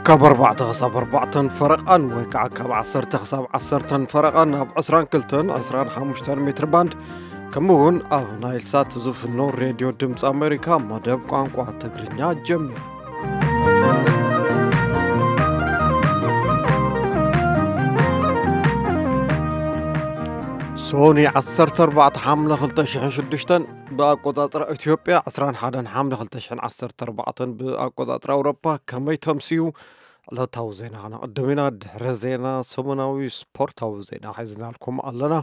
ካብ ኣርባዕተ ክሳብ ኣርባዕተን ፈረቓን ወይ ከዓ ካብ ዓሰርተ ክሳብ ዓሰርተን ፈረቓን ኣብ ዕስራን ክልተን ዕስራን ሓሙሽተን ሜትር ባንድ፣ ከምኡ እውን ኣብ ናይል ሳት ዝፍኖ ሬድዮ ድምፂ ኣሜሪካ መደብ ቋንቋ ትግርኛ ጀሚሩ። ሶኒ ዓሰርተ ኣርባዕተ ሓምለ ክልተ ሽሕን ሽዱሽተን ብኣቆጻጽራ ኢትዮጵያ፣ ዕስራን ሓደን ሓምለ ክልተ ሽሕን ዓሰርተ ኣርባዕተን ብኣቆጻጽራ ኣውሮፓ። ከመይ ተምስዩ? ዕለታዊ ዜና ከነቕድም ኢና። ድሕሪ ዜና ሰሙናዊ ስፖርታዊ ዜና ሒዝናልኩም ኣለና።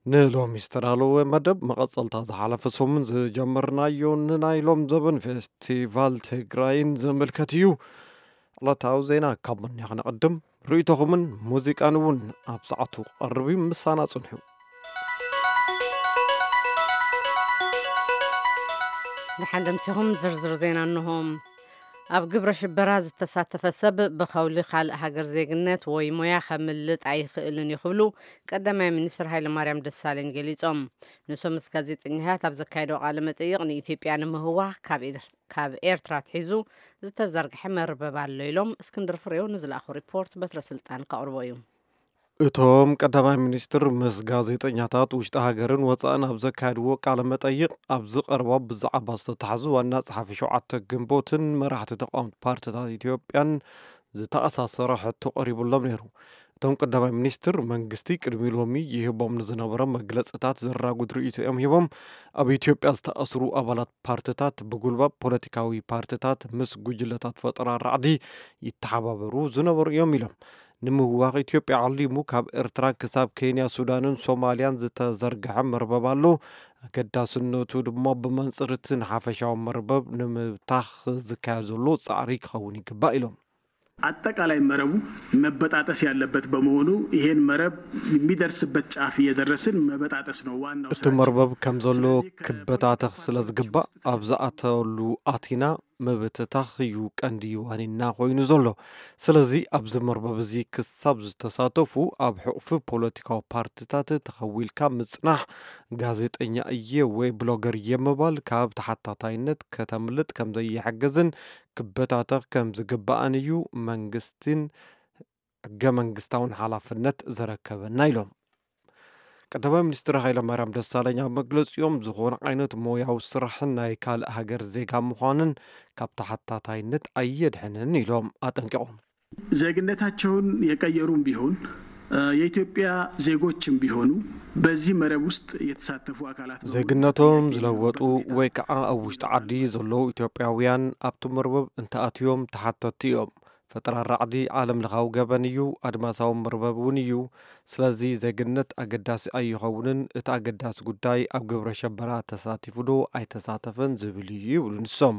ንሎሚ ዝተዳለወ መደብ መቐጸልታ ዝሓለፈ ሰሙን ዝጀመርናዮ ንናይ ሎም ዘበን ፌስቲቫል ትግራይን ዝምልከት እዩ። ዕለታዊ ዜና ካብ መን ከነቕድም? ርእይቶኹምን ሙዚቃን እውን ኣብ ሰዓቱ ክቐርብ እዩ። ምሳና ጽንሑ። ደሓን ደምሲኹም ዝርዝር ዜና እንሆ። ኣብ ግብረ ሽበራ ዝተሳተፈ ሰብ ብኸውሊ ካልእ ሃገር ዜግነት ወይ ሞያ ከምልጥ ኣይኽእልን እዩ ክብሉ ቀዳማይ ሚኒስትር ሃይለማርያም ደሳለኝ ገሊጾም። ንሶም ምስ ጋዜጠኛታት ኣብ ዘካየደዎ ቃለ መጠይቕ ንኢትዮጵያ ንምህዋኽ ካብ ኤር-፣ ካብ ኤርትራ ኣትሒዙ ዝተዘርግሐ መርበብ ኣሎ ኢሎም። እስክንድር ፍሬው ንዝለኣኾ ሪፖርት በትረ ስልጣን ከቕርቦ እዩ። እቶም ቀዳማይ ሚኒስትር ምስ ጋዜጠኛታት ውሽጢ ሃገርን ወፃእን ኣብ ዘካየድዎ ቃለ መጠይቕ፣ ኣብዚ ቀረባ ብዛዕባ ዝተታሕዙ ዋና ጸሓፊ ሸውዓተ ግንቦትን መራሕቲ ተቃወምቲ ፓርቲታት ኢትዮጵያን ዝተኣሳሰረ ሕቶ ቀሪቡሎም ነይሩ። እቶም ቀዳማይ ሚኒስትር መንግስቲ ቅድሚ ሎሚ ይህቦም ንዝነበረ መግለጽታት ዘራጉድ ርእይቶ እዮም ሂቦም። ኣብ ኢትዮጵያ ዝተኣስሩ ኣባላት ፓርቲታት ብጉልባብ ፖለቲካዊ ፓርቲታት ምስ ጉጅለታት ፈጠራ ራዕዲ ይተሓባበሩ ዝነበሩ እዮም ኢሎም። ንምውዋኽ ኢትዮጵያ ዓሊሙ ካብ ኤርትራ ክሳብ ኬንያ፣ ሱዳንን ሶማልያን ዝተዘርግሐ መርበብ ኣሎ። ኣገዳስነቱ ድማ ብመንጽር እቲ ንሓፈሻዊ መርበብ ንምብታኽ ዝካየድ ዘሎ ጻዕሪ ክኸውን ይግባእ ኢሎም። አጠቃላይ መረቡ መበጣጠስ ያለበት በመሆኑ ይሄን መረብ የሚደርስበት ጫፍ እየደረስን መበጣጠስ ነው ዋናው እቲ መርበብ ከም ዘሎ ክበታተኽ ስለ ዝግባእ ኣብ ዝኣተሉ ኣቲና ምብትታኽ እዩ ቀንዲ ዋኒና ኮይኑ ዘሎ። ስለዚ ኣብዚ መርበብ እዚ ክሳብ ዝተሳተፉ ኣብ ሕቑፊ ፖለቲካዊ ፓርቲታት ተኸዊልካ ምጽናሕ፣ ጋዜጠኛ እየ ወይ ብሎገር እየ ምባል ካብ ተሓታታይነት ከተምልጥ ከም ዘይሕግዝን ክበታተኽ ከም ዝግባእን እዩ መንግስትን ሕገ መንግስታውን ሓላፍነት ዘረከበና ኢሎም። ቀዳማይ ሚኒስትር ሃይለማርያም ደሳለኝ ኣብ መግለፂኦም ዝኾነ ዓይነት ሞያዊ ስራሕን ናይ ካልእ ሃገር ዜጋ ምዃንን ካብ ተሓታታይነት ኣየድሕንን ኢሎም ኣጠንቂቖም። ዜግነታቸውን የቀየሩም ቢሆን የኢትዮጵያ ዜጎችም ቢሆኑ በዚህ መረብ ውስጥ የተሳተፉ አካላት ነው። ዜግነቶም ዝለወጡ ወይ ከዓ ኣብ ውሽጢ ዓዲ ዘለዉ ኢትዮጵያውያን ኣብቲ መርበብ እንተኣትዮም ተሓተትቲ እዮም። ፈጠራ ራዕዲ ዓለም ለኻዊ ገበን እዩ፣ ኣድማሳዊ መርበብ እውን እዩ። ስለዚ ዜግነት ኣገዳሲ ኣይኸውንን፣ እቲ ኣገዳሲ ጉዳይ ኣብ ግብረ ሸበራ ተሳቲፉ ዶ ኣይተሳተፈን ዝብል እዩ ይብሉ ንሶም።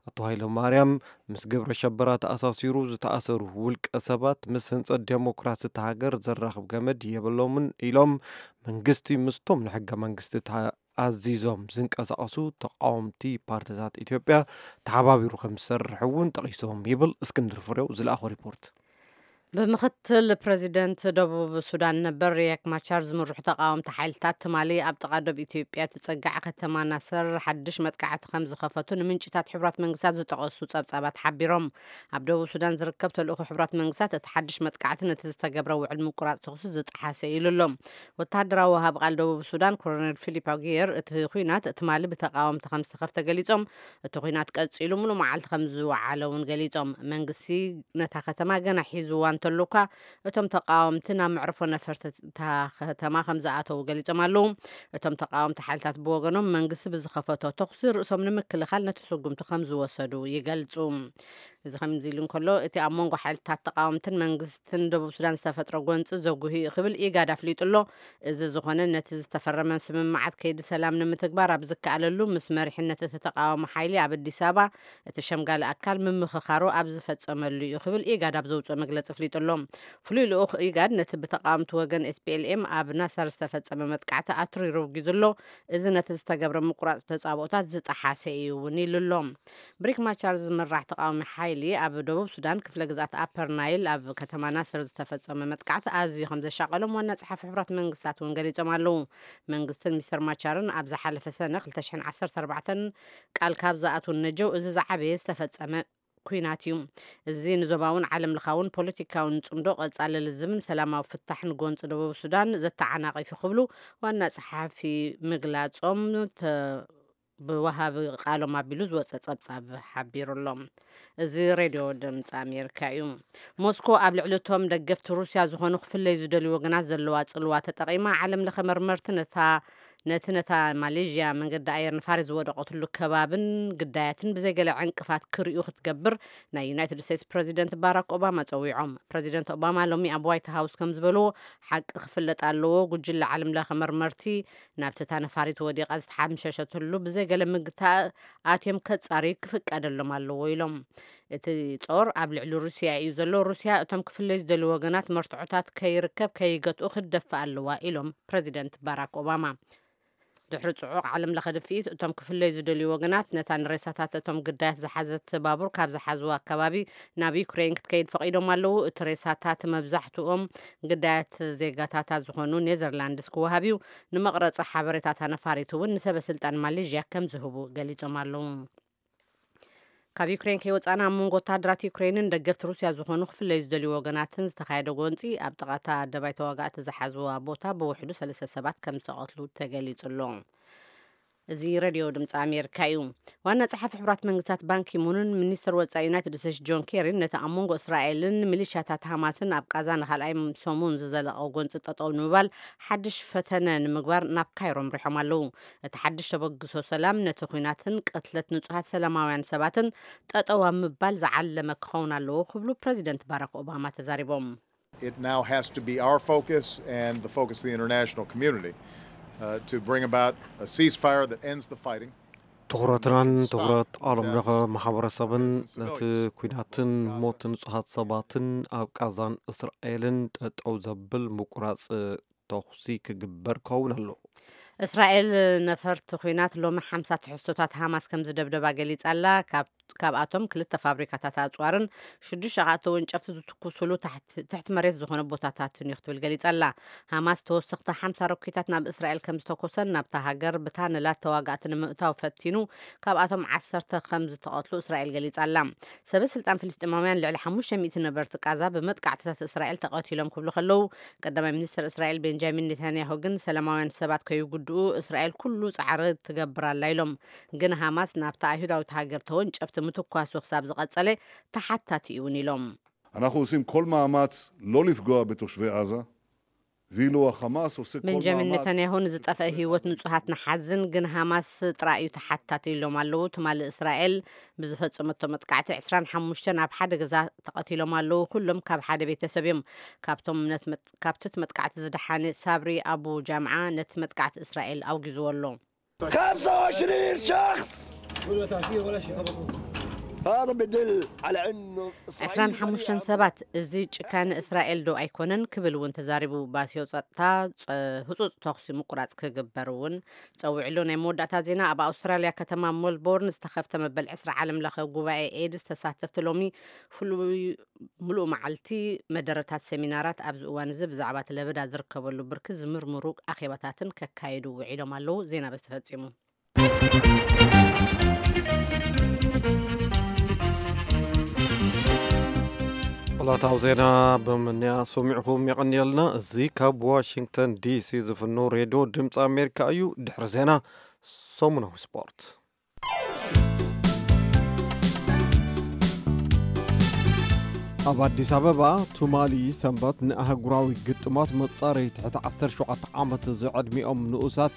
ኣቶ ሃይለማርያም ምስ ግብረ ሸበራ ተኣሳሲሩ ዝተኣሰሩ ውልቀ ሰባት ምስ ህንፀት ዴሞክራሲ እታ ሃገር ዘራኽብ ገመድ የብሎምን ኢሎም። መንግስቲ ምስቶም ንሕገ መንግስቲ ኣዚዞም ዝንቀሳቐሱ ተቓወምቲ ፓርቲታት ኢትዮጵያ ተሓባቢሩ ከም ዝሰርሕ እውን ጠቒሶም ይብል እስክንድር ፍሬው ዝለኣኾ ሪፖርት። ብምክትል ፕረዚደንት ደቡብ ሱዳን ነበር ሪያክ ማቻር ዝምርሑ ተቓወምቲ ሓይልታት ትማሊ ኣብ ጥቓ ዶብ ኢትዮጵያ ትጸጋዕ ከተማ ናሰር ሓድሽ መጥቃዕቲ ከም ዝኸፈቱ ንምንጭታት ሕቡራት መንግስታት ዝጠቐሱ ጸብጻባት ሓቢሮም። ኣብ ደቡብ ሱዳን ዝርከብ ተልእኾ ሕቡራት መንግስታት እቲ ሓድሽ መጥቃዕቲ ነቲ ዝተገብረ ውዕል ምቁራጽ ተኹሲ ዝጠሓሰ ኢሉ ኣሎ። ወተሃደራዊ ወሃብ ቃል ደቡብ ሱዳን ኮሎኔል ፊሊፕ ኣጉየር እቲ ኲናት ትማሊ ብተቓወምቲ ከም ዝተኸፍተ ገሊጾም። እቲ ኲናት ቀጺሉ ሙሉእ መዓልቲ ከም ዝወዓለ እውን ገሊጾም። መንግስቲ ነታ ከተማ ገና ሒዝዋ እንተሎ እኳ እቶም ተቓወምቲ ናብ መዕርፎ ነፈርቲ እታ ከተማ ከም ዝኣተዉ ገሊጾም ኣለዉ። እቶም ተቓወምቲ ሓይልታት ብወገኖም መንግስቲ ብዝኸፈቶ ተኹሲ ርእሶም ንምክልኻል ነቲ ስጉምቲ ከም ዝወሰዱ ይገልጹ። እዚ ከምዚ ኢሉ እንከሎ፣ እቲ ኣብ መንጎ ሓይልታት ተቃወምትን መንግስትን ደቡብ ሱዳን ዝተፈጥረ ጎንፂ ዘጉሂ እዩ ክብል ኢጋድ ኣፍሊጡ ኣሎ። እዚ ዝኾነ፣ ነቲ ዝተፈረመ ስምምዓት ከይዲ ሰላም ንምትግባር ኣብ ዝከኣለሉ፣ ምስ መሪሕነት እቲ ተቃዋሚ ሓይሊ ኣብ ኣዲስ ኣበባ እቲ ሸምጋሊ ኣካል ምምኽኻሩ ኣብ ዝፈጸመሉ እዩ ክብል ኢጋድ ኣብ ዘውፅኦ መግለፂ ኣፍሊጡ ኣሎ። ፍሉይ ልኡኽ ኢጋድ ነቲ ብተቃወምቲ ወገን ኤስፒኤልኤም ኣብ ናሰር ዝተፈጸመ መጥቃዕቲ ኣትሪሩ ኣውጊዙ ኣሎ። እዚ ነቲ ዝተገብረ ምቁራፅ ተጻብኦታት ዝጠሓሰ እዩ እውን ኢሉ ኣሎ። ብሪክ ማቻር ዝምራሕ ተቃዋሚ ሓይሊ ኣብ ደቡብ ሱዳን ክፍለ ግዝኣት ኣፐር ናይል ኣብ ከተማ ናስር ዝተፈጸመ መጥቃዕቲ ኣዝዩ ከም ዘሻቐሎም ዋና ጸሓፊ ሕቡራት መንግስታት እውን ገሊጾም ኣለዉ። መንግስትን ሚስተር ማቻርን ኣብ ዝሓለፈ ሰነ ክልተ ሽሕን ዓሰርተ ኣርባዕተን ቃል ካብ ዝኣትዉ ነጀው እዚ ዝዓበየ ዝተፈጸመ ኲናት እዩ። እዚ ንዞባውን ዓለም ለኻውን ፖለቲካውን ጽምዶ ቀጻሊ ልዝብን ሰላማዊ ፍታሕን ጎንጺ ደቡብ ሱዳን ዘተዓናቒፍ እዩ ክብሉ ዋና ጸሓፊ ምግላጾም ተ-፣ ብወሃቢ ቃሎም ኣቢሉ ዝወጸ ጸብጻብ ሓቢሩ ኣሎ። እዚ ሬድዮ ድምጺ ኣሜሪካ እዩ። ሞስኮ ኣብ ልዕሊ እቶም ደገፍቲ ሩስያ ዝኾኑ ክፍለዩ ዝደልዩ ወገናት ዘለዋ ጽልዋ ተጠቒማ፣ ዓለም ለኸ መርመርቲ ነታ፣ ነቲ ነታ ማሌዥያ መንገዲ ኣየር ንፋሪስ ዝወደቐትሉ ከባብን ግዳያትን ብዘይገለ ዕንቅፋት ክርእዩ ክትገብር ናይ ዩናይትድ ስቴትስ ፕረዚደንት ባራክ ኦባማ ጸዊዖም። ፕረዚደንት ኦባማ ሎሚ ኣብ ዋይት ሃውስ ከም ዝበልዎ፣ ሓቂ ክፍለጥ ኣለዎ፣ ጉጅለ ዓለም ለኸ መርመርቲ ናብቲ እታ ነፋሪት ወዲቓ ዝተሓምሸሸትሉ ብዘይገለ ምግታእ ኣትዮም ከጻርዩ ክፍቀደሎም ኣለዎ ኢሎም። እቲ ጾር ኣብ ልዕሊ ሩስያ እዩ ዘሎ። ሩስያ እቶም ክፍለዩ ዝደልዩ ወገናት መርትዖታት ከይርከብ ከይገትኡ ክትደፍእ ኣለዋ ኢሎም ፕረዚደንት ባራክ ኦባማ። ድሕሪ ጽዑቕ ዓለም ለኸ ድፍኢት፣ እቶም ክፍለዩ ዝደልዩ ወገናት ነታ ንሬሳታት እቶም ግዳያት ዝሓዘት ባቡር ካብ ዝሓዝዋ ከባቢ ናብ ዩክሬን ክትከይድ ፈቒዶም ኣለዉ። እቲ ሬሳታት መብዛሕትኦም ግዳያት ዜጋታታ ዝኾኑ ኔዘርላንድስ ክወሃብ እዩ። ንመቕረጺ ሓበሬታታ ነፋሪት እውን ንሰበ ስልጣን ማሌዥያ ከም ዝህቡ ገሊጾም ኣለዉ። ካብ ዩክሬን ከይወጻና፣ ኣብ መንጎ ወታደራት ዩክሬንን ደገፍቲ ሩስያ ዝኾኑ ክፍለዩ ዝደልዩ ወገናትን ዝተኻየደ ጎንጺ፣ ኣብ ጥቓ እታ ኣደባይ ተዋጋእቲ ዝሓዝዋ ቦታ ብውሕዱ ሰለስተ ሰባት ከም ዝተቐትሉ ተገሊጹ ኣሎ። እዚ ሬድዮ ድምፂ ኣሜሪካ እዩ። ዋና ጸሓፊ ሕቡራት መንግስታት ባንኪሙንን ሚኒስትር ወጻኢ ዩናይትድ ስቴትስ ጆን ኬሪን ነቲ ኣብ መንጎ እስራኤልን ሚሊሻታት ሃማስን ኣብ ቃዛ ንኻልኣይ ሰሙን ዝዘለቐ ጎንፂ ጠጠው ንምባል ሓድሽ ፈተነ ንምግባር ናብ ካይሮ ኣምሪሖም ኣለዉ። እቲ ሓድሽ ተበግሶ ሰላም ነቲ ኲናትን ቅትለት ንጹሃት ሰላማውያን ሰባትን ጠጠው ኣብ ምባል ዝዓለመ ክኸውን ኣለዎ ክብሉ ፕረዚደንት ባራክ ኦባማ ተዛሪቦም። It now has to be our focus and the focus of the international community uh, to bring about a ceasefire that ends the fighting. ትኹረትናን ትኹረት ዓለም ለኸ ማሕበረሰብን ነቲ ኲናትን ሞት ንጹሃት ሰባትን ኣብ ቃዛን እስራኤልን ጠጠው ዘብል ምቁራጽ ተኹሲ ክግበር ክኸውን ኣለዎ። እስራኤል ነፈርቲ ኲናት ሎሚ ሓምሳ ትሕዝቶታት ሃማስ ከም ዝደብደባ ገሊጻ ኣላ። ካብ ካብኣቶም ክልተ ፋብሪካታት ኣጽዋርን ሽዱሽተ ከኣ ተወንጨፍቲ ዝትኩስሉ ትሕቲ መሬት ዝኾነ ቦታታትን እዩ ክትብል ገሊጻ ኣላ። ሃማስ ተወሰኽቲ ሓምሳ ሮኬታት ናብ እስራኤል ከም ዝተኮሰን ናብታ ሃገር ብታነላት ተዋጋእቲ ንምእታው ፈቲኑ ካብኣቶም ዓሰርተ ከም ዝተቐትሉ እስራኤል ገሊጻ ኣላ። ሰበ ስልጣን ፍልስጤማውያን ልዕሊ ሓሙሽተ ሚእቲ ነበርቲ ቃዛ ብመጥቃዕትታት እስራኤል ተቐቲሎም ክብሉ ከለዉ፣ ቀዳማይ ሚኒስትር እስራኤል ቤንጃሚን ኔታንያሁ ግን ሰላማውያን ሰባት ከይጉድኡ እስራኤል ኩሉ ጻዕሪ ትገብር ኣላ ኢሎም። ግን ሃማስ ናብታ ኣይሁዳዊት ሃገር ተወንጨፍቲ ምትኳሱ ክሳብ ዝቐጸለ ተሓታቲ እዩ እውን ኢሎም። אנחנו עושים כל מאמץ לא לפגוע בתושבי עזה, ואילו החמאס עושה כל ቤንጃሚን מאמץ ኔታንያሁ ንዝጠፍአ ህይወት ንጹሃት ንሓዝን፣ ግን ሃማስ ጥራይ እዩ ተሓታቲ ኢሎም ኣለዉ። ትማሊ እስራኤል ብዝፈጸመቶ መጥቃዕቲ ዕስራን ሓሙሽተን ኣብ ሓደ ገዛ ተቐቲሎም ኣለዉ። ኩሎም ካብ ሓደ ቤተሰብ እዮም። ካብቶም ነት መጥ- ካብቲ እቲ መጥቃዕቲ ዝደሓነ ሳብሪ ኣቡ ጃምዓ ነቲ መጥቃዕቲ እስራኤል ኣውጊዝዎ ኣሎ። خمسة وعشرين شخص. هذا بدل على انه ዕስራን ሓሙሽተን ሰባት፣ እዚ ጭካነ እስራኤል ዶ ኣይኮነን ክብል እውን ተዛሪቡ። ባስዮ ጸጥታ ጸ- ህጹጽ ተኹሲ ምቁራጽ ክግበር እውን ጸዊዕሉ። ናይ መወዳእታ ዜና፣ ኣብ ኣውስትራልያ ከተማ ሜልቦርን ዝተኸፍተ መበል ዕስራ ዓለም ለኸ ጉባኤ ኤድስ ተሳተፍቲ ሎሚ ፍሉይ ምሉእ መዓልቲ መደረታት ሰሚናራት ኣብዚ እዋን እዚ ብዛዕባ እቲ ለበዳ ዝርከበሉ ብርኪ ዝምርምሩ ኣኼባታትን ከካይዱ ውዒሎም ኣለዉ። ዜና በዚ ተፈጺሙ። ዕለታዊ ዜና ብምንያ ሰሚዕኹም የቐንየልና። እዚ ካብ ዋሽንግተን ዲሲ ዝፍኖ ሬድዮ ድምፂ ኣሜሪካ እዩ። ድሕሪ ዜና ሰሙናዊ ስፖርት። ኣብ ኣዲስ ኣበባ ትማሊ ሰንበት ንኣህጉራዊ ግጥማት መጻረይ ትሕቲ ዓሰርተ ሸውዓተ ዓመት ዝዕድሚኦም ንኡሳት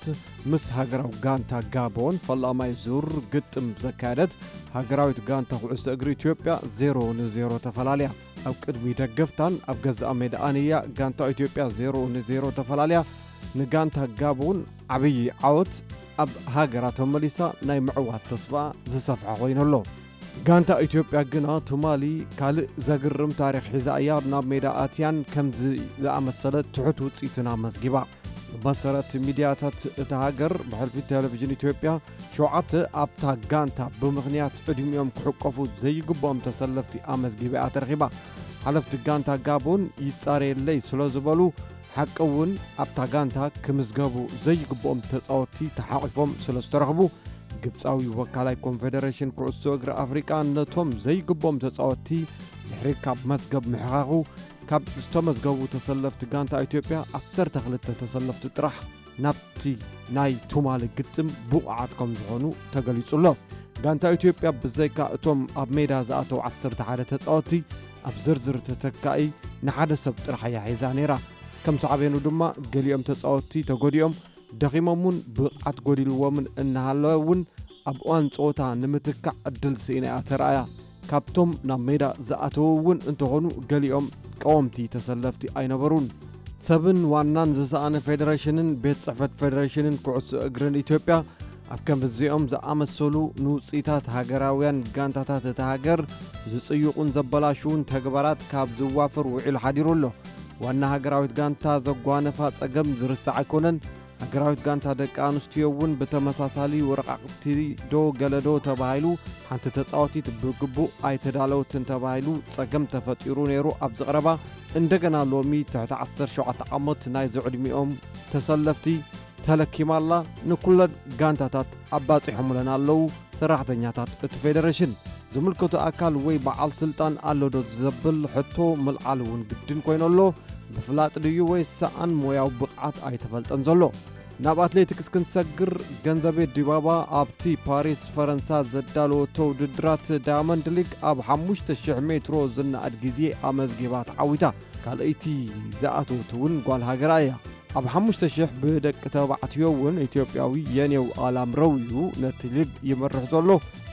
ምስ ሃገራዊ ጋንታ ጋቦን ፈላማይ ዙር ግጥም ዘካየደት ሃገራዊት ጋንታ ኩዕሶ እግሪ ኢትዮጵያ ዜሮ ንዜሮ ተፈላልያ። ኣብ ቅድሚ ደገፍታን ኣብ ገዛእ ሜዳኣን እያ ጋንታ ኢትዮጵያ ዜሮ ንዜሮ ተፈላልያ። ንጋንታ ጋቦን ዓብዪ ዓወት ኣብ ሃገራ ተመሊሳ ናይ ምዕዋት ተስፋ ዝሰፍሐ ኮይኑ'ሎ። ጋንታ ኢትዮጵያ ግና ትማሊ ካልእ ዘግርም ታሪኽ ሒዛ እያ ናብ ሜዳ ኣትያን ከምዚ ዝኣመሰለ ትሑት ውጽኢትን ኣመዝጊባ። ብመሰረት ሚድያታት እታ ሃገር ብሕልፊ ቴሌቪዥን ኢትዮጵያ ሸውዓተ ኣብታ ጋንታ ብምኽንያት ዕድሚኦም ክሕቀፉ ዘይግብኦም ተሰለፍቲ ኣመዝጊባ እያ ተረኺባ። ሓለፍቲ ጋንታ ጋቦን ይጻረየለይ ስለ ዝበሉ ሓቂ እውን ኣብታ ጋንታ ክምዝገቡ ዘይግብኦም ተጻወትቲ ተሓቒፎም ስለ ዝተረኽቡ ግብጻዊ ወካላይ ኮንፌደሬሽን ኩዕሶ እግሪ ኣፍሪቃ ነቶም ዘይግብኦም ተጻወትቲ ድሕሪ ካብ መዝገብ ምሕኻኹ ካብ ዝተመዝገቡ ተሰለፍቲ ጋንታ ኢትዮጵያ ዓሰርተ ክልተ ተሰለፍቲ ጥራሕ ናብቲ ናይ ቱማሊ ግጥም ብቑዓት ከም ዝኾኑ ተገሊጹ ኣሎ። ጋንታ ኢትዮጵያ ብዘይካ እቶም ኣብ ሜዳ ዝኣተው ዓሰርተ ሓደ ተጻወትቲ ኣብ ዝርዝር ተተካኢ ንሓደ ሰብ ጥራሕ እያ ሒዛ ነይራ። ከም ሳዕቤኑ ድማ ገሊኦም ተጻወትቲ ተጎዲኦም ደኺሞም እውን ብቕዓት ጎዲልዎምን እናሃለወ እውን ኣብ እዋን ጸወታ ንምትካእ ዕድል ስኢና እያ ተራእያ። ካብቶም ናብ ሜዳ ዝኣተዉ እውን እንተኾኑ ገሊኦም ቀወምቲ ተሰለፍቲ ኣይነበሩን። ሰብን ዋናን ዝሰኣነ ፌደሬሽንን ቤት ጽሕፈት ፌደሬሽንን ኩዕሶ እግርን ኢትዮጵያ ኣብ ከምዚኦም ዝኣመሰሉ ንውጽኢታት ሃገራውያን ጋንታታት እታ ሃገር ዝጽይቑን ዘበላሽውን ተግባራት ካብ ዝዋፈር ውዒሉ ሓዲሩ ኣሎ። ዋና ሃገራዊት ጋንታ ዘጓነፋ ጸገም ዝርሳዕ ኣይኮነን። ሃገራዊት ጋንታ ደቂ ኣንስትዮ እውን ብተመሳሳሊ ወረቓቕቲ ዶ ገለ ዶ ተባሂሉ ሓንቲ ተጻወቲት ብግቡእ ኣይተዳለወትን ተባሂሉ ጸገም ተፈጢሩ ነይሩ ኣብ ዝቕረባ እንደገና ሎሚ ትሕቲ ዓሰርተ ሸውዓተ ዓመት ናይ ዝዕድሚኦም ተሰለፍቲ ተለኪማ ኣላ። ንኩለን ጋንታታት ኣባጺሖምለን ኣለዉ ሰራሕተኛታት እቲ ፌደሬሽን። ዝምልከቶ ኣካል ወይ በዓል ስልጣን ኣሎ ዶ ዘብል ሕቶ ምልዓል እውን ግድን ኮይኑ ኣሎ። ብፍላጥ ድዩ ወይ ሰኣን ሞያዊ ብቕዓት ኣይተፈልጠን ዘሎ። ናብ ኣትሌቲክስ ክንሰግር፣ ገንዘቤ ዲባባ ኣብቲ ፓሪስ ፈረንሳ ዘዳለወቶ ውድድራት ዳያመንድ ሊግ ኣብ ሓሙሽተ ሽሕ ሜትሮ ዝነኣድ ግዜ ኣመዝጊባ ተዓዊታ። ካልኣይቲ ዝኣተወት እውን ጓል ሃገራ እያ። ኣብ ሓሙሽተ ሽሕ ብደቂ ተባዕትዮ እውን ኢትዮጵያዊ የኔው ኣላምረው እዩ ነቲ ሊግ ይመርሕ ዘሎ።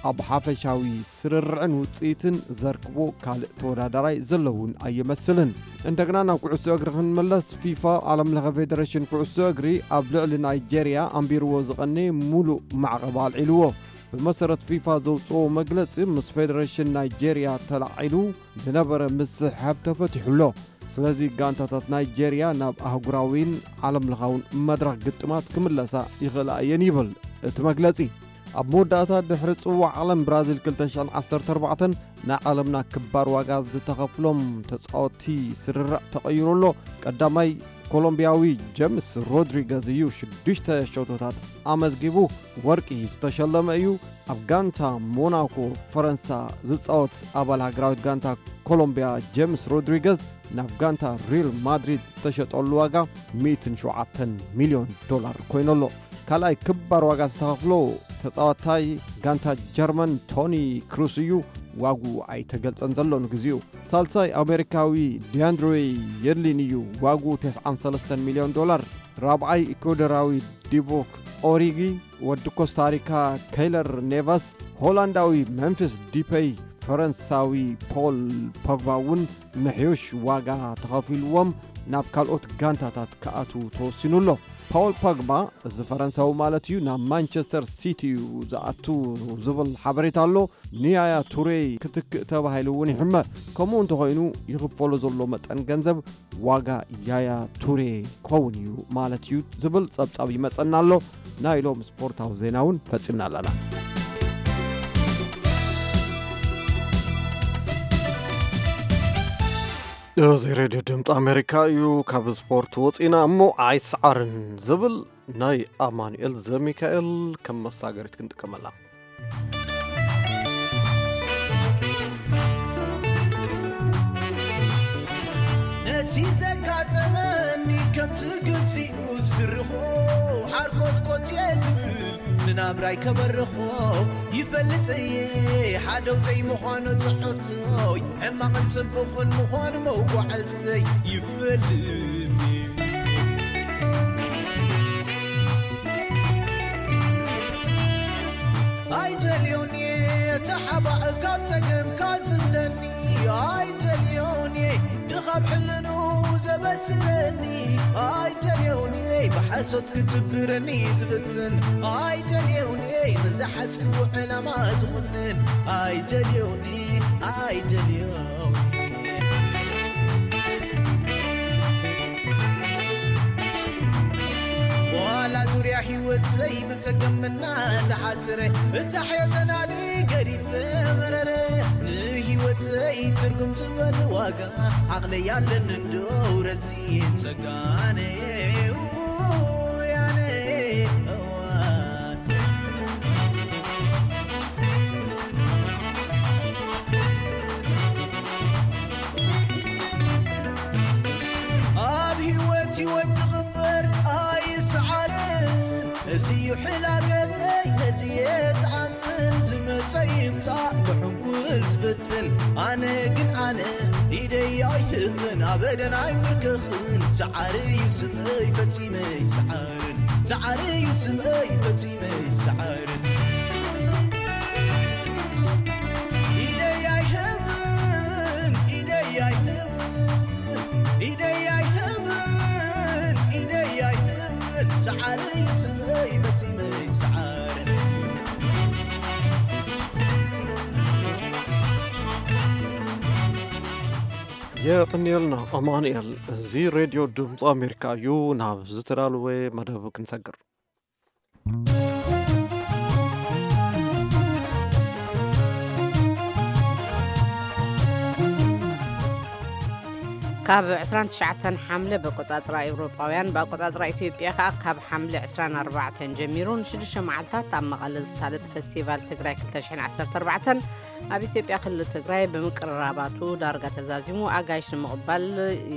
ኣብ ሓፈሻዊ ስርርዕን ውጽኢትን ዘርክቦ ካልእ ተወዳዳራይ ዘለውን ኣይመስልን። እንደገና ናብ ኩዕሶ እግሪ ክንመለስ፣ ፊፋ ዓለም ለኸ ፌደሬሽን ኩዕሶ እግሪ ኣብ ልዕሊ ናይጄርያ ኣንቢርዎ ዝቐነየ ሙሉእ ማዕቐብ ኣልዒልዎ። ብመሰረት ፊፋ ዘውፅኦ መግለፂ ምስ ፌደሬሽን ናይጄርያ ተላዒሉ ዝነበረ ምስሕብ ተፈቲሑ ኣሎ። ስለዚ ጋንታታት ናይጄርያ ናብ ኣህጉራዊን ዓለም ለኻውን መድረኽ ግጥማት ክምለሳ ይኽእላ እየን ይብል እቲ መግለፂ። ኣብ መወዳእታ ድሕሪ ፅዋዕ ዓለም ብራዚል ክልተ ሽሕን ዓሰርተ ኣርባዕተን ናይ ዓለምና ክባር ዋጋ ዝተኸፍሎም ተፃወትቲ ስርርዕ ተቐይሩ ኣሎ። ቀዳማይ ኮሎምቢያዊ ጀምስ ሮድሪገዝ እዩ ሽዱሽተ ሸቶታት ኣመዝጊቡ ወርቂ ዝተሸለመ እዩ። ኣብ ጋንታ ሞናኮ ፈረንሳ ዝፃወት ኣባል ሃገራዊት ጋንታ ኮሎምቢያ ጀምስ ሮድሪገዝ ናብ ጋንታ ሪል ማድሪድ ዝተሸጠሉ ዋጋ ሚእትን ሸውዓተን ሚልዮን ዶላር ኮይኑ ኣሎ። ካልኣይ ክባር ዋጋ ዝተኸፍሎ ተፃዋታይ ጋንታ ጀርመን ቶኒ ክሩስ እዩ። ዋጉ ኣይተገልፀን ዘሎ ንግዚኡ። ሳልሳይ ኣሜሪካዊ ዲያንድሬ የድሊን እዩ። ዋጉ ተስዓን ሰለስተን ሚልዮን ዶላር። ራብዓይ ኢኳዶራዊ ዲቮክ ኦሪጊ፣ ወዲ ኮስታሪካ ከይለር ኔቫስ፣ ሆላንዳዊ ሜምፊስ ዲፐይ፣ ፈረንሳዊ ፖል ፖግባ እውን ምሕዩሽ ዋጋ ተኸፊልዎም ናብ ካልኦት ጋንታታት ክኣትዉ ተወሲኑ ኣሎ። ፓውል ፖግባ፣ እዚ ፈረንሳዊ ማለት እዩ፣ ናብ ማንቸስተር ሲቲ እዩ ዝኣቱ ዝብል ሓበሬታ ኣሎ። ንያያ ቱሬ ክትክእ ተባሂሉ እውን ይሕመ። ከምኡ እንተኾይኑ ይኽፈሎ ዘሎ መጠን ገንዘብ ዋጋ ያያ ቱሬ ክኸውን እዩ ማለት እዩ ዝብል ጸብጻብ ይመጸና ኣሎ። ናይ ሎም ስፖርታዊ ዜና እውን ፈጺምና ኣለና። እዚ ሬድዮ ድምፂ ኣሜሪካ እዩ። ካብ ስፖርት ወፂና እሞ ኣይሰዓርን ዝብል ናይ ኣማኑኤል ዘሚካኤል ከም መሳገሪት ክንጥቀመላ። ነቲ ዘጋጠመኒ ከምቲ ግዚኡ ዝድርኾ ሓርኮትኮት እየ ዝብል። ናብራይ ከበርኾ ይፈልጥ እየ፣ ሓደው ዘይምዃኑ ጽሑፍቶይ፣ ሕማቕን ጽቡቕን ምዃኑ መጓዕዝተይ ይፈልጥ እየ። ኣይደልዮን እየ ተሓባእ ካብ ጸገምካ ዝብለኒ፣ ኣይደልዮን እየ ድኻብ ሕልኑ ዘበስረኒ፣ ኣይደልዮን እየ ብሓሶት ክትብረኒ ዝፍትን፣ ኣይደልዮን እየ ንዝሓዝክዎ ዕላማ ዝኹንን፣ ኣይደልዮን እየ፣ ኣይደልዮን እየ። ዋላ ዙርያ ህይወት ዘይብጸገም እናተሓጽረ፣ እታ ሕዮ ተናዲ ገዲፈ መረረ። ንህይወተይ ትርጉም ዝበል ዋጋ፣ ዓቕለይ ኣለኒ እንዶ ረዚን ጸጋነ። ውያነ እዋን። ኣብ ህይወት ይወድቕ እምበር ኣይስዓርን። እዚ እዩ ሕላገተይ፣ ነዚ እየ ዝኣምን። ዝመጸ ይምጻእ ክሕንኩል ዝፍትን። ኣነ ግን ኣነ ኢደይ ኣይህብን፣ ኣበደን ኣይምርክኽን። ሰዓሪ እዩ ስምእይ ፈጺመ ይስዓርን። ሰዓሪ እዩ ስምእይ ፈጺመ ይስዓርን። ኢደይ ኣይህብን፣ ኢደይ ኣይህብን፣ ኢደይ ኣይህብን፣ ኢደይ ኣይህብን። ሰዓሪ እዩ ስምእይ ፈጺመ ይስዓርን። የቐንየልና ኣማኑኤል። እዚ ሬድዮ ድምፂ ኣሜሪካ እዩ። ናብ ዝተዳለወ መደብ ክንሰግር። ካብ ዕስራን ትሽዓተን ሓምለ ብኣቆጻጽራ ኤውሮጳውያን፣ ብኣቆጻጽራ ኢትዮጵያ ከኣ ካብ ሓምለ ዕስራን ኣርባዕተን ጀሚሩ ንሽዱሽተ መዓልታት ኣብ መቐለ ዝሳለጥ ፈስቲቫል ትግራይ ክልተ ሽሕን ዓሰርተ ኣርባዕተን ኣብ ኢትዮጵያ ክልል ትግራይ ብምቅርራባቱ ዳርጋ ተዛዚሙ ኣጋይሽ ንምቕባል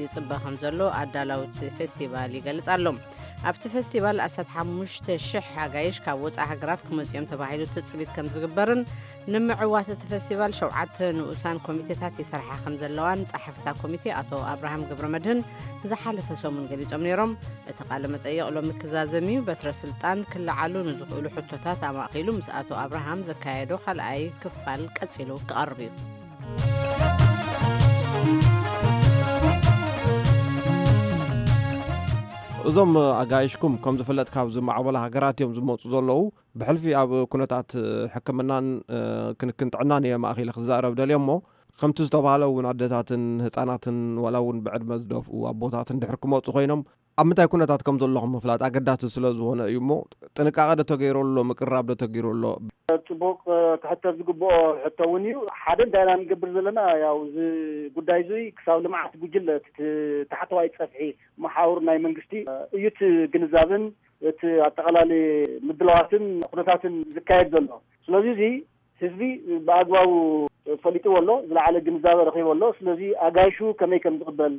ይጽበ ከም ዘሎ ኣዳላውቲ ፈስቲቫል ይገልጽ ኣሎ። ኣብቲ ፈስቲቫል ኣስታት ሓሙሽተ ሽሕ ኣጋይሽ ካብ ወጻኢ ሃገራት ክመጽኡ እዮም ተባሂሉ ትጽቢት ከም ዝግበርን ንምዕዋት እቲ ፈስቲቫል ሸውዓተ ንኡሳን ኮሚቴታት ይሰርሓ ከም ዘለዋን ጸሓፊ እታ ኮሚቴ ኣቶ ኣብርሃም ገብረመድህን ዝሓለፈ ሰሙን ገሊጾም ነይሮም። እቲ ቃለ መጠይቕ ሎሚ ክዛዘም እዩ። በትረ ስልጣን ክለዓሉ ንዝኽእሉ ሕቶታት ኣማእኪሉ ምስ ኣቶ ኣብርሃም ዘካየዶ ካልኣይ ክፋል ቀጺሉ ክቐርብ እዩ። እዞም ኣጋይሽኩም ከም ዝፍለጥ ካብ ዝማዕበላ ሃገራት እዮም ዝመፁ ዘለዉ። ብሕልፊ ኣብ ኩነታት ሕክምናን ክንክን ጥዕናን እየ ማእኺለ ክዛረብ ደልየ እሞ፣ ከምቲ ዝተባህለ እውን ኣደታትን ህፃናትን ዋላ እውን ብዕድመ ዝደፍኡ ኣቦታትን ድሕር ክመፁ ኮይኖም ኣብ ምንታይ ኩነታት ከም ዘለኹም ምፍላጥ ኣገዳሲ ስለ ዝኾነ እዩ እሞ፣ ጥንቃቐ ዶ ተገይሩ ኣሎ? ምቅርራብ ዶ ተገይሩ ኣሎ? ጽቡቕ፣ ክሕተት ዝግብኦ ሕቶ እውን እዩ። ሓደ እንታይ ኢና ንገብር ዘለና? ያው እዚ ጉዳይ እዚ ክሳብ ልምዓት ጉጅለ እቲ ታሕተዋይ ጸፍሒ መሓውር ናይ መንግስቲ እዩ እቲ ግንዛብን እቲ ኣጠቓላሊ ምድላዋትን ኩነታትን ዝካየድ ዘሎ። ስለዚ እዚ ህዝቢ ብኣግባቡ ፈሊጥዎ ኣሎ፣ ዝለዓለ ግንዛበ ረኺቡ ኣሎ። ስለዚ ኣጋይሹ ከመይ ከም ዝቕበል፣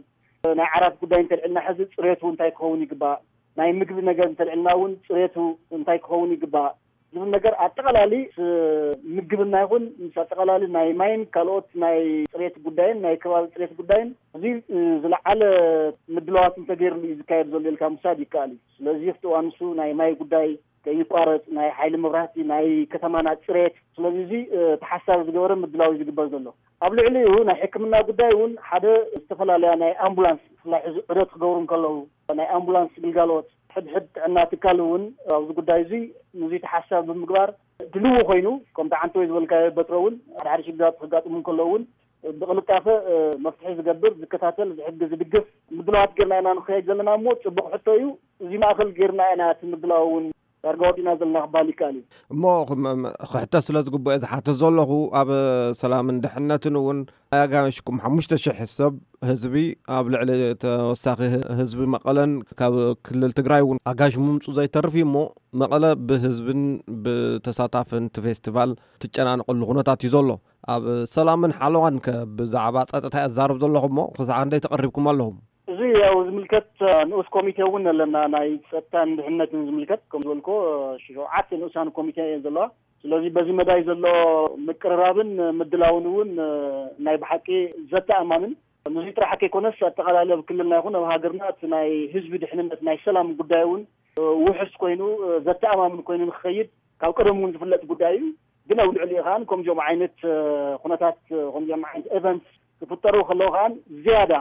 ናይ ዓራት ጉዳይ እንተልዕልና ሕዚ ጽሬቱ እንታይ ክኸውን ይግባእ፣ ናይ ምግቢ ነገር እንተልዕልና እውን ጽሬቱ እንታይ ክኸውን ይግባእ ዝብል ነገር ኣጠቓላሊ ምስ ምግብና ይኹን ምስ ኣጠቓላሊ ናይ ማይን ካልኦት ናይ ጽሬት ጉዳይን ናይ ከባቢ ጽሬት ጉዳይን እዚ ዝለዓለ ምድላዋት እንተገይርሉ እዩ ዝካየድ ዘሎ ኢልካ ምውሳድ ይከኣል እዩ። ስለዚ ኣብቲ እዋን ንሱ ናይ ማይ ጉዳይ ከይቋረጽ፣ ናይ ሓይሊ መብራህቲ፣ ናይ ከተማና ጽሬት። ስለዚ እዚ ተሓሳቢ ዝገበረ ምድላው እዩ ዝግበር ዘሎ። ኣብ ልዕሊኡ ናይ ሕክምና ጉዳይ እውን ሓደ ዝተፈላለያ ናይ ኣምቡላንስ ብፍላይ ሕዚ ዑደት ክገብሩ እንከለዉ ናይ ኣምቡላንስ ግልጋሎት ሕድሕድ ጥዕና ትካል እውን ኣብዚ ጉዳይ እዚ ንዚ ተሓሳቢ ብምግባር ድልዉ ኮይኑ ከምቲ ዓንተወይ ዝበልካዮ በትሮ እውን ሓደ ሓደ ሽግራት ከጋጥሙ እንከለዉ እውን ብቕልጣፈ መፍትሒ ዝገብር ዝከታተል ዝሕግዝ ዝድግፍ ምድላዋት ጌርና ኢና ንኸየድ ዘለና እሞ ፅቡቕ ሕቶ እዩ። እዚ ማእኸል ጌርና ኢና እቲ ምድላው እውን ዳርጋ ወዲእና ዘለና ክበሃል ይከኣል እዩ። እሞ ክሕተት ስለ ዝግብኦ ዝሓትት ዘለኹ ኣብ ሰላምን ድሕነትን እውን ኣጋይሽኩም ሓሙሽተ ሽሕ ሰብ ህዝቢ ኣብ ልዕሊ ተወሳኺ ህዝቢ መቐለን ካብ ክልል ትግራይ እውን ኣጋይሽ ምምፁ ዘይተርፍ እዩ እሞ መቐለ ብህዝብን ብተሳታፍን እቲ ፌስቲቫል ትጨናነቐሉ ኩነታት እዩ ዘሎ። ኣብ ሰላምን ሓለዋን ከ ብዛዕባ ፀጥታ ኣዛርብ ዘለኹ እሞ ክሳዕ ክንደይ ተቐሪብኩም ኣለኹም? እዚ ያው ዝምልከት ንኡስ ኮሚቴ እውን ኣለና፣ ናይ ጸጥታን ድሕነትን ዝምልከት። ከም ዝበልኮ ሸውዓተ ንኡሳን ኮሚቴ እየን ዘለዋ። ስለዚ በዚ መዳይ ዘሎ ምቅርራብን ምድላውን እውን ናይ ብሓቂ ዘተኣማምን፣ ንዚ ጥራሕ ከይኮነስ ኣጠቓላሊ ኣብ ክልልና ይኹን ኣብ ሃገርና እቲ ናይ ህዝቢ ድሕንነት ናይ ሰላም ጉዳይ እውን ውሕስ ኮይኑ ዘተኣማምን ኮይኑ ንክኸይድ ካብ ቀደም እውን ዝፍለጥ ጉዳይ እዩ። ግን ኣብ ልዕሊኡ ከኣ ከምዚኦም ዓይነት ኩነታት፣ ከምዚኦም ዓይነት ኤቨንት ክፍጠሩ ከለዉ ከኣ ዝያዳ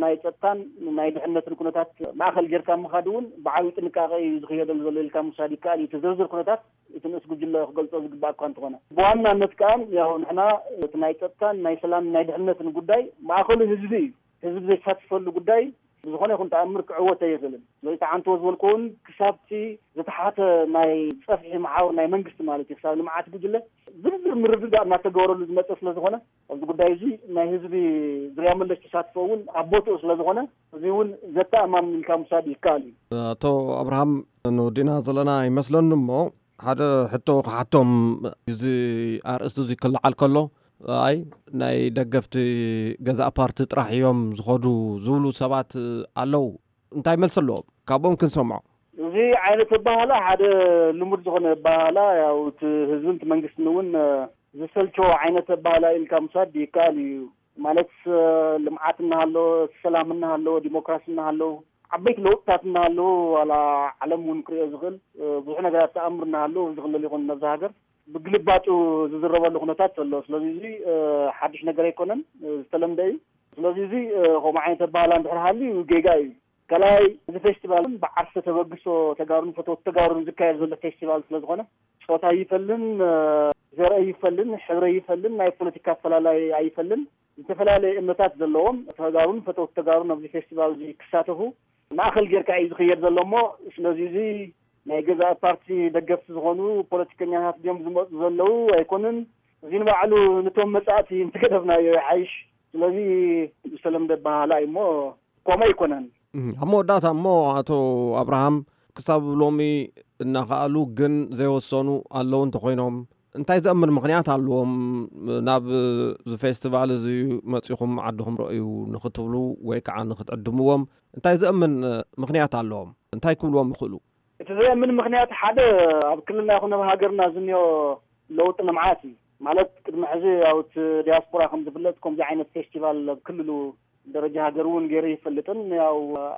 ናይ ጸጥታን ናይ ድሕነትን ኩነታት ማእኸል ጌርካ ምኻድ እውን ብዓብዪ ጥንቃቄ እዩ ዝኽየደሉ ዘሎ ኢልካ ምውሳድ ይከኣል እዩ። እቲ ዝርዝር ኩነታት እቲ ንእስ ጉጅለ ክገልጾ ዝግባእ እኳ እንተኾነ፣ ብዋናነት ከኣ ያው ንሕና እቲ ናይ ጸጥታን ናይ ሰላምን ናይ ድሕነትን ጉዳይ ማእኸሉ ህዝቢ እዩ። ህዝቢ ዘይተሳተፈሉ ጉዳይ ብዝኾነ ይኹን ተኣምር ክዕወት ኣይኽእልን። ስለዚ ተዓንቶ ዝበልኩ እውን ክሳብቲ ዝተሓተ ናይ ጸፍሒ መሓውር ናይ መንግስቲ ማለት እዩ ክሳብ ልምዓት ጉጅለ ዝርዝር ምርድዳእ እናተገበረሉ ዝመጸ ስለ ዝኾነ ኣብዚ ጉዳይ እዚ ናይ ህዝቢ ዙርያ መለሽ ተሳትፎ እውን ኣብ ቦትኡ ስለ ዝኾነ እዚ እውን ዘተኣማምን ኢልካ ምውሳድ ይከኣል እዩ። ኣቶ ኣብርሃም፣ ንወዲና ዘለና ይመስለኒ እሞ ሓደ ሕቶ ክሓቶም፣ እዚ ኣርእስቲ እዚ ክለዓል ከሎ ኣይ ናይ ደገፍቲ ገዛእ ፓርቲ ጥራሕ እዮም ዝኸዱ ዝብሉ ሰባት ኣለዉ። እንታይ መልሲ ኣለዎም? ካብኦም ክንሰምዖ። እዚ ዓይነት ኣባህላ ሓደ ልሙድ ዝኾነ ኣባህላ፣ ያው እቲ ህዝብን እቲ መንግስትን እውን ዝሰልቸዎ ዓይነት ኣባህላ ኢልካ ምውሳድ ይከኣል እዩ። ማለት ልምዓት እናሃለዎ፣ ሰላም እናሃለዎ፣ ዲሞክራሲ እናሃለዎ፣ ዓበይቲ ለውጥታት እናሃለዎ፣ ዋላ ዓለም እውን ክሪኦ ዝኽእል ብዙሕ ነገራት ተኣምር እናሃለዎ ዝኽለል ይኹን ነብዚ ሃገር ብግልባጡ ዝዝረበሉ ኩነታት ዘሎ። ስለዚ እዚ ሓድሽ ነገር ኣይኮነን፣ ዝተለምደ እዩ። ስለዚ እዚ ከምኡ ዓይነት ኣባህላ እንድሕር ሃልዩ ጌጋ እዩ። ካልኣይ፣ እዚ ፌስቲቫል ብዓርሰ ተበግሶ ተጋሩን ፈተውቲ ተጋሩን ዝካየድ ዘሎ ፌስቲቫል ስለ ዝኾነ ጾታ ይፈልን፣ ዘርኢ ይፈልን፣ ሕብሪ ይፈልን፣ ናይ ፖለቲካ ኣፈላላይ ኣይፈልን። ዝተፈላለየ እምነታት ዘለዎም ተጋሩን ፈተውቲ ተጋሩን ኣብዚ ፌስቲቫል እዚ ክሳተፉ ማእኸል ጌርካ እዩ ዝኽየድ ዘሎ እሞ ስለዚ እዚ ናይ ገዛእ ፓርቲ ደገፍቲ ዝኾኑ ፖለቲከኛታት ድዮም ዝመፁ ዘለዉ ኣይኮኑን። እዚ ንባዕሉ ንቶም መጻእቲ እንተገደፍናዮ ይሓይሽ። ስለዚ ዝተለምደ ኣበሃህላ እዩ እሞ ከምኡ ኣይኮነን። እም፣ ኣብ መወዳእታ እሞ ኣቶ ኣብርሃም ክሳብ ሎሚ እናኸኣሉ ግን ዘይወሰኑ ኣለዉ እንተኾይኖም እንታይ ዘእምን ምኽንያት ኣለዎም ናብ እዚ ፌስቲቫል እዚ መጺኹም ዓድኹም ረእዩ ንኽትብሉ ወይ ከዓ ንኽትዕድምዎም እንታይ ዘእምን ምኽንያት ኣለዎም? እንታይ ክብልዎም ይኽእሉ? እቲ ዘእምን ምኽንያት ሓደ ኣብ ክልልና ይኹን ኣብ ሃገርና ዝኒኦ ለውጢ ልምዓት እዩ። ማለት ቅድሚ ሕዚ ያው እቲ ዲያስፖራ ከም ዝፍለጥ ከምዚ ዓይነት ፌስቲቫል ኣብ ክልሉ ደረጃ ሃገር እውን ገይሩ ይፈልጥን ያው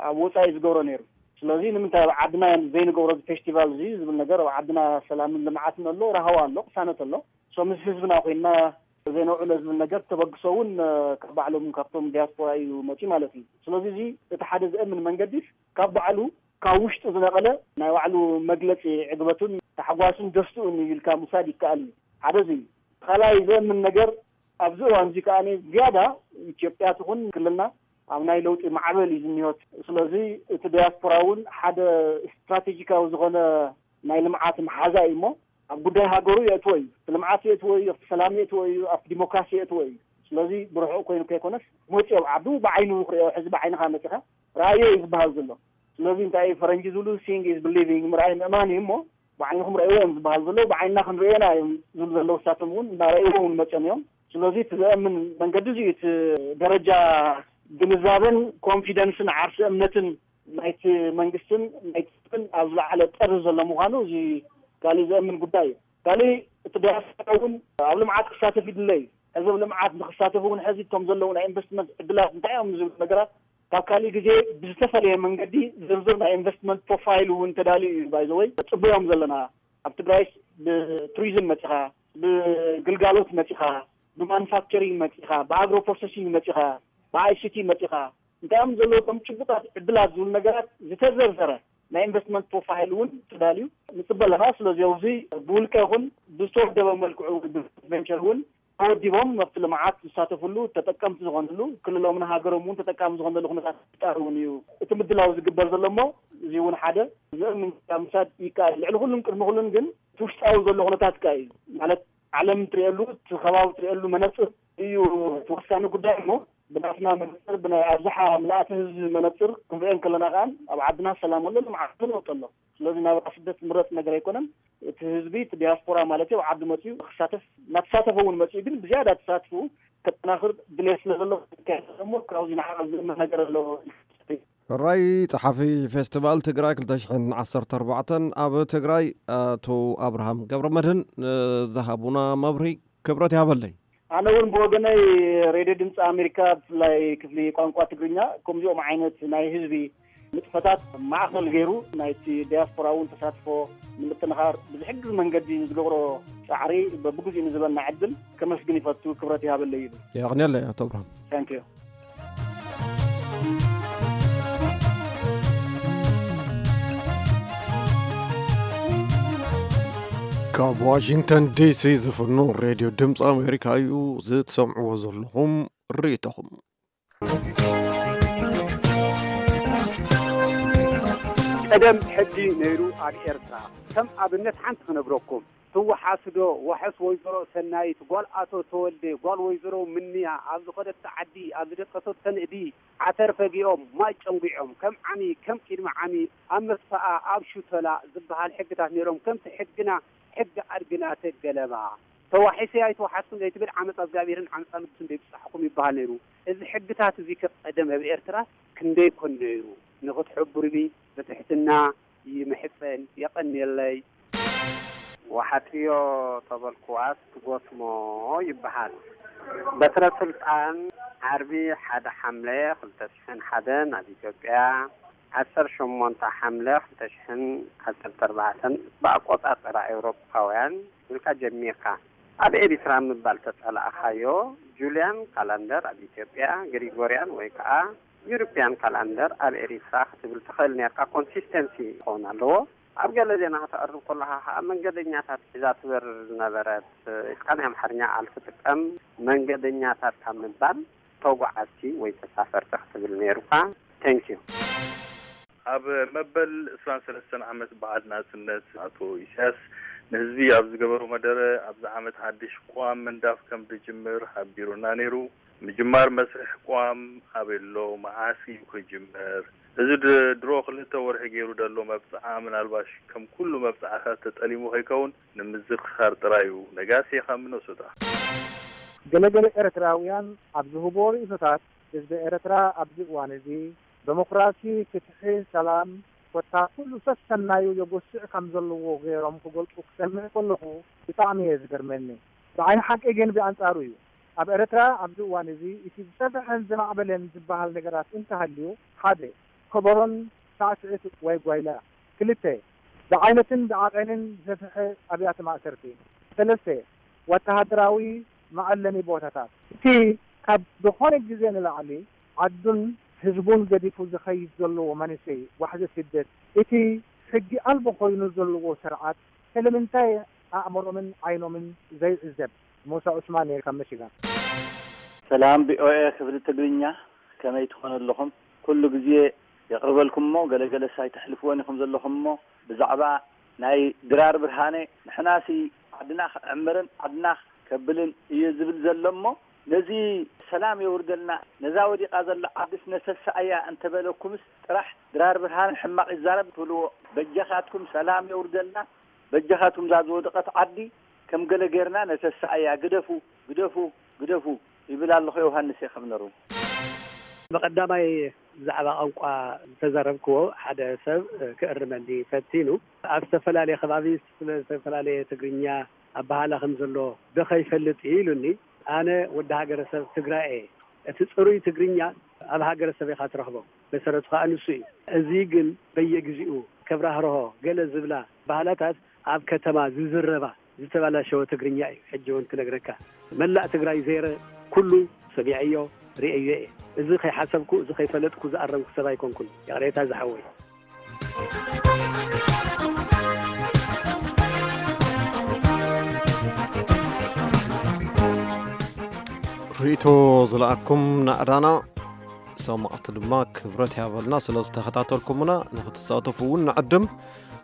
ኣብ ወፃኢ ዝገብሮ ነይሩ። ስለዚ ንምንታይ ኣብ ዓድና ዘይንገብሮ እዚ ፌስቲቫል እዚ ዝብል ነገር ኣብ ዓድና ሰላምን ልምዓትን ኣሎ፣ ራህዋ ኣሎ፣ ቅሳነት ኣሎ። ሶ ምስ ህዝብና ኮይንና ዘይነውዕሎ ዝብል ነገር ተበግሶ እውን ካብ ባዕሎም ካብቶም ዲያስፖራ እዩ መፂኡ ማለት እዩ። ስለዚ እዚ እቲ ሓደ ዘእምን መንገዲ ካብ ባዕሉ ካብ ውሽጡ ዝነቐለ ናይ ባዕሉ መግለፂ ዕግበቱን ታሕጓሱን ደስትኡን እዩ ኢልካ ምውሳድ ይከኣል እዩ። ሓደ እዚ እዩ። ካልኣይ ዘእምን ነገር ኣብዚ እዋን እዚ ከኣ ዝያዳ ኢትዮጵያ ትኹን ክልልና ኣብ ናይ ለውጢ ማዕበል እዩ ዝኒሆት። ስለዚ እቲ ዲያስፖራ እውን ሓደ ስትራቴጂካዊ ዝኾነ ናይ ልምዓት መሓዛ እዩ እሞ ኣብ ጉዳይ ሃገሩ የእትዎ እዩ። ኣብቲ ልምዓት የእትዎ እዩ፣ ኣብቲ ሰላም የእትዎ እዩ፣ ኣብቲ ዲሞክራሲ የእትዎ እዩ። ስለዚ ብርሑቕ ኮይኑ ከይኮነስ መፂኦ ኣብ ዓዱ ብዓይኑ ክሪኦ ሕዚ ብዓይንኻ መፂኻ ረኣዮ እዩ ዝበሃል ዘሎ። ስለዚ እንታይ እዩ ፈረንጂ ዝብሉ ሲንግ ኢዝ ብሊቪንግ፣ ምርኣይ ምእማን እዩ እሞ ብዓይንኹም ረእይዎ እዮም ዝበሃል ዘለዉ፣ ብዓይንና ክንርእዮና እዮም ዝብሉ ዘለዉ። እሳቶም እውን እናረእይዎ እውን መፅኦም እዮም። ስለዚ እቲ ዘእምን መንገዲ እዚ እቲ ደረጃ ግንዛበን ኮንፊደንስን ዓርሲ እምነትን ናይቲ መንግስትን ናይቲ ህዝብን ኣብ ዝለዓለ ጠርዚ ዘሎ ምዃኑ እዚ ካሊእ ዘእምን ጉዳይ እዩ። ካሊእ እቲ ዲያስፖራ እውን ኣብ ልምዓት ክሳተፍ ይድለ እዩ። ሕዚ ኣብ ልምዓት ንክሳተፉ እውን ሕዚ እቶም ዘለዉ ናይ ኢንቨስትመንት ዕድላት እንታይ እዮም ዝብል ነገራት ካብ ካሊእ ግዜ ብዝተፈለየ መንገዲ ዝርዝር ናይ ኢንቨስትመንት ፕሮፋይል እውን ተዳልዩ እዩ። ባይዘወይ ፅቡዮም ዘለና ኣብ ትግራይስ ብቱሪዝም መፂኻ፣ ብግልጋሎት መፂኻ፣ ብማኑፋክቸሪንግ መፂኻ፣ ብኣግሮ ፕሮሰሲንግ መፂኻ፣ ብኣይሲቲ መፂኻ እንታይ እዮም ዘለዉ ከም ጭቡጣት ዕድላት ዝብሉ ነገራት ዝተዘርዘረ ናይ ኢንቨስትመንት ፕሮፋይል እውን ተዳልዩ ንፅበ ኣለና። ስለዚ ኣብዚ ብውልቀ ይኹን ብዝተወደበ መልክዑ ቨንቸር እውን ተወዲቦም መብቲ ልምዓት ዝሳተፍሉ ተጠቀምቲ ዝኾንሉ ክልሎም ንሃገሮም እውን ተጠቃሚ ዝኾንሉ ኩነታት ምፍጣር እውን እዩ እቲ ምድላው ዝግበር ዘሎ እሞ እዚ እውን ሓደ ዘእምን ምሳድ ይከኣል። ልዕሊ ኩሉን ቅድሚ ኩሉን ግን እቲ ውሽጣዊ ዘሎ ኩነታት ከ እዩ ማለት ዓለም ትሪእሉ እቲ ከባቢ ትሪእሉ መነፅር እዩ እቲ ወሳኒ ጉዳይ እሞ ብናትና መነፅር ብናይ ኣብዝሓ ምልኣተ ህዝቢ መነፅር ክንሪኦ እንከለና ከዓ ኣብ ዓድና ሰላም ኣሎ ልምዓት ለውጥ ኣሎ። ስለዚ ናብራ ስደት ምረፅ ነገር ኣይኮነን። እቲ ህዝቢ እቲ ዲያስፖራ ማለት እዩ ኣብ ዓዲ መፅኡ ክሳተፍ እናተሳተፈ እውን መፅኡ ግን ብዝያዳ ተሳትፍኡ ከጠናኽር ድሌት ስለ ዘሎ እሞ ካብዚ ንዓቐብ ዝእመን ነገር ኣሎ። ሕራይ ጸሓፊ ፌስቲቫል ትግራይ ክልተ ሽሕን ዓሰርተ ኣርባዕተን ኣብ ትግራይ ኣቶ ኣብርሃም ገብረ መድህን ዝሃቡና መብርሂ ክብረት ይሃበለይ። ኣነ እውን ብወገነይ ሬድዮ ድምፂ ኣሜሪካ ብፍላይ ክፍሊ ቋንቋ ትግርኛ ከምዚኦም ዓይነት ናይ ህዝቢ ንጥፈታት ማእኸል ገይሩ ናይቲ ዲያስፖራ እውን ተሳትፎ ንምጥንኻር ብዝሕግዝ መንገዲ ንዝገብሮ ፃዕሪ በብግዚኡ ንዝበና ዕድል ከመስግን ይፈቱ። ክብረት ይሃበለይ ይብል። የቕንየለይ ኣቶ ኣብርሃም። ታንኪዩ። ካብ ዋሽንግተን ዲሲ ዝፍኖ ሬድዮ ድምፂ ኣሜሪካ እዩ። ዝትሰምዕዎ ዘለኹም ርእይቶኹም። ቀደም ሕጊ ነይሩ ኣብ ኤርትራ። ከም ኣብነት ሓንቲ ክነግረኩም። ትወሓስዶ ዋሕስ ወይዘሮ ሰናይት ጓል ኣቶ ተወልደ ጓል ወይዘሮ ምንያ ኣብ ዝኸደቶ ዓዲ ኣብ ዝደቀሰቶ ንእዲ ዓተር ፈጊኦም ማይ ጨንጒዖም ከም ዓሚ ከም ቅድሚ ዓሚ ኣብ መስፈኣ ኣብ ሹተላ ዝበሃል ሕግታት ነይሮም። ከምቲ ሕግና ሕጊ ኣድግና ተገለባ። ተዋሒሰ ኣይተዋሓስኩን ዘይትብል ዓመፃ እግዚኣብሔርን ዓመፃ ንጉስን ደይብፃሕኹም ይበሃል ነይሩ። እዚ ሕግታት እዚ ከቀደም ኣብ ኤርትራ ክንደይ ኮን ነይሩ። ንክትሕብሩኒ ብትሕትና ይምሕፀን። የቐንየለይ። ወሓጥዮ ተበልኩዋስ ትጎስሞ ይበሃል። በትረ ስልጣን ዓርቢ ሓደ ሓምለ ክልተ ሽሕን ሓደን ኣብ ኢትዮጵያ፣ ዓሰርተ ሸሞንተ ሓምለ ክልተ ሽሕን ዓሰርተ ኣርባዕተን ብኣቆጻጽራ ኤውሮጳውያን ኢልካ ጀሚርካ። ኣብ ኤሪትራ ምባል ተጸላእኻዮ፣ ጁልያን ካላንደር ኣብ ኢትዮጵያ፣ ግሪጎርያን ወይ ከኣ ዩሮፕያን ካላንደር ኣብ ኤሪትራ ክትብል ትኽእል ኔርካ። ኮንሲስተንሲ ክኸውን ኣለዎ። ኣብ ገለ ዜና ከተቕርብ ከለኻ ከኣ መንገደኛታት ሒዛ ትበርር ዝነበረት ኢልካ ናይ ኣምሓርኛ ቃል ትጥቀም። መንገደኛታት ካብ ምባል ተጓዓዝቲ ወይ ተሳፈርቲ ክትብል ኔሩካ። Thank you። ኣብ መበል ዕስራን ሰለስተን ዓመት በዓል ናጽነት ኣቶ ኢሳያስ ንህዝቢ ኣብ ዝገበሮ መደረ ኣብዚ ዓመት ሓድሽ ቅዋም ምንዳፍ ከም ዝጅምር ሓቢሩና ነይሩ። ምጅማር መስርሕ ቅዋም ኣበይ ኣሎ? መዓስ እዩ ክጅመር? እዚ ድ- ድሮ ክልተ ወርሒ ገይሩ ደሎ መብጽዓ ምናልባሽ ከም ኩሉ መብጽዓታት ተጠሊሙ ከይከውን ንምዝኽኻር ጥራይ እዩ። ነጋሲ ካብ ሚነሶታ። ገለገለ ኤርትራውያን ኣብ ዝህብዎ ርእይቶታት ህዝቢ ኤርትራ ኣብዚ እዋን እዚ ደሞክራሲ፣ ፍትሒ፣ ሰላም ኮታ ኩሉ ሰሰናዩ የጎስዕ ከም ዘለዎ ገይሮም ክገልጹ ክሰምዕ ከለኹ ብጣዕሚ እየ ዝገርመኒ። ብዓይኒ ሓቂ ግን ብኣንጻሩ እዩ። ኣብ ኤርትራ ኣብዚ እዋን እዚ እቲ ዝሰፍሐን ዝማዕበለን ዝበሃል ነገራት እንተሃልዩ ሓደ ከበሮን ሳዕስዒት ወይ ጓይላ፣ ክልተ ብዓይነትን ብዓቐንን ዝሰፍሐ ኣብያተ ማእሰርቲ፣ ሰለስተ ወተሃደራዊ መዐለሚ ቦታታት። እቲ ካብ ዝኾነ ግዜ ንላዕሊ ዓዱን ህዝቡን ገዲፉ ዝኸይድ ዘለዎ መንእሰይ ዋሕዚ ስደት፣ እቲ ሕጊ ኣልቦ ኮይኑ ዘለዎ ስርዓት ስለምንታይ ኣእምሮምን ዓይኖምን ዘይዕዘብ? ሙሳ ዑስማን እየ ካብ መሽጋን። ሰላም ቪኦኤ ክፍሊ ትግርኛ፣ ከመይ ትኾኑ ኣለኹም? ኩሉ ግዜ የቕርበልኩም እሞ ገለገለስ ኣይተሕልፍዎን ኢኹም ዘለኹም እሞ ብዛዕባ ናይ ድራር ብርሃነ ንሕናሲ ዓድና ክዕምርን ዓድና ከብልን እዩ ዝብል ዘሎ እሞ ነዚ ሰላም የውርደልና፣ ነዛ ወዲቓ ዘላ ዓድስ ነተስኣያ እንተበለኩምስ ጥራሕ ድራር ብርሃነ ሕማቕ ይዛረብ ትብልዎ። በጃኻትኩም ሰላም የውርደልና፣ በጃኻትኩም እዛ ዝወደቐት ዓዲ ከም ገለ ጌርና ነተስኣያ። ግደፉ፣ ግደፉ፣ ግደፉ ይብል ኣለኹ። ዮሃንስ እየ ካብ ነሩ። ብቐዳማይ ብዛዕባ ቋንቋ ዝተዛረብክዎ ሓደ ሰብ ክእርመኒ ፈቲኑ። ኣብ ዝተፈላለየ ከባቢ ዝተፈላለየ ትግርኛ ኣበሃህላ ከም ዘሎ ዶ ከይፈልጥ እዩ ኢሉኒ። ኣነ ወዲ ሃገረሰብ ትግራይ እየ። እቲ ፅሩይ ትግርኛ ኣብ ሃገረሰብ ኢኻ ትረኽቦ። መሰረቱ ከዓ ንሱ እዩ። እዚ ግን በየግዚኡ ከብራህርሆ ገለ ዝብላ ባህላታት ኣብ ከተማ ዝዝረባ ዝተበላሸወ ትግርኛ እዩ። ሕጂ እውን ክነግረካ መላእ ትግራይ ዘይረ ኩሉ ሰሚዐዮ ርእየዮ እየ። እዚ ከይሓሰብኩ እዚ ከይፈለጥኩ ዝኣረምኩ ሰብ ኣይኮንኩን። ይቕሬታ ዝሓወይ። ርእቶ ዝለኣኩም ናእዳና ሰማዕቲ ድማ ክብረት ያበልና ስለ ዝተኸታተልኩምና። ንክትሳተፉ እውን ንዕድም።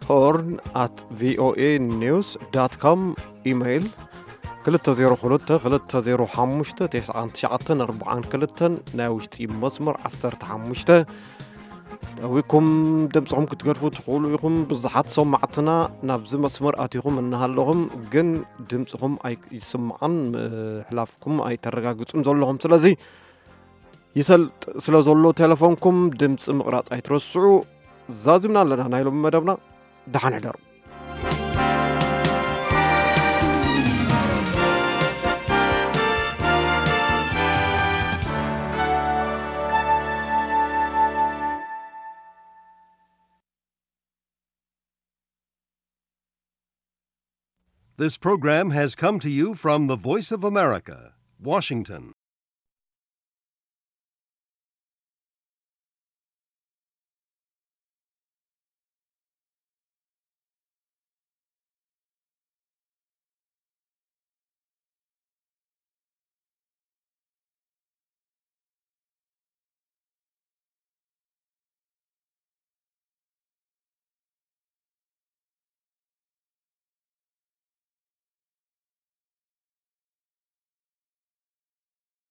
ሆርን ኣት ቪኦኤ ኒውስ ዳት ኮም ኢሜይል ክልተ ዜሮ ክልተ ክልተ ዜሮ ሓሙሽተ ተስዓን ትሽዓተን ኣርብዓን ክልተን ናይ ውሽጢ መስመር ዓሰርተ ሓሙሽተ ጠዊኩም ድምፅኹም ክትገድፉ ትኽእሉ ኢኹም። ብዙሓት ሰማዕትና ናብዚ መስመር ኣቲኹም እናሃለኹም ግን ድምፅኹም ኣይስማዕን፣ ምሕላፍኩም ኣይተረጋግፁን ዘለኹም። ስለዚ ይሰልጥ ስለ ዘሎ ቴሌፎንኩም ድምፂ ምቕራፅ ኣይትረስዑ። ዛዚምና ኣለና ናይ ሎሚ መደብና። ደሓን ሕደሩ። This program has come to you from the Voice of America, Washington.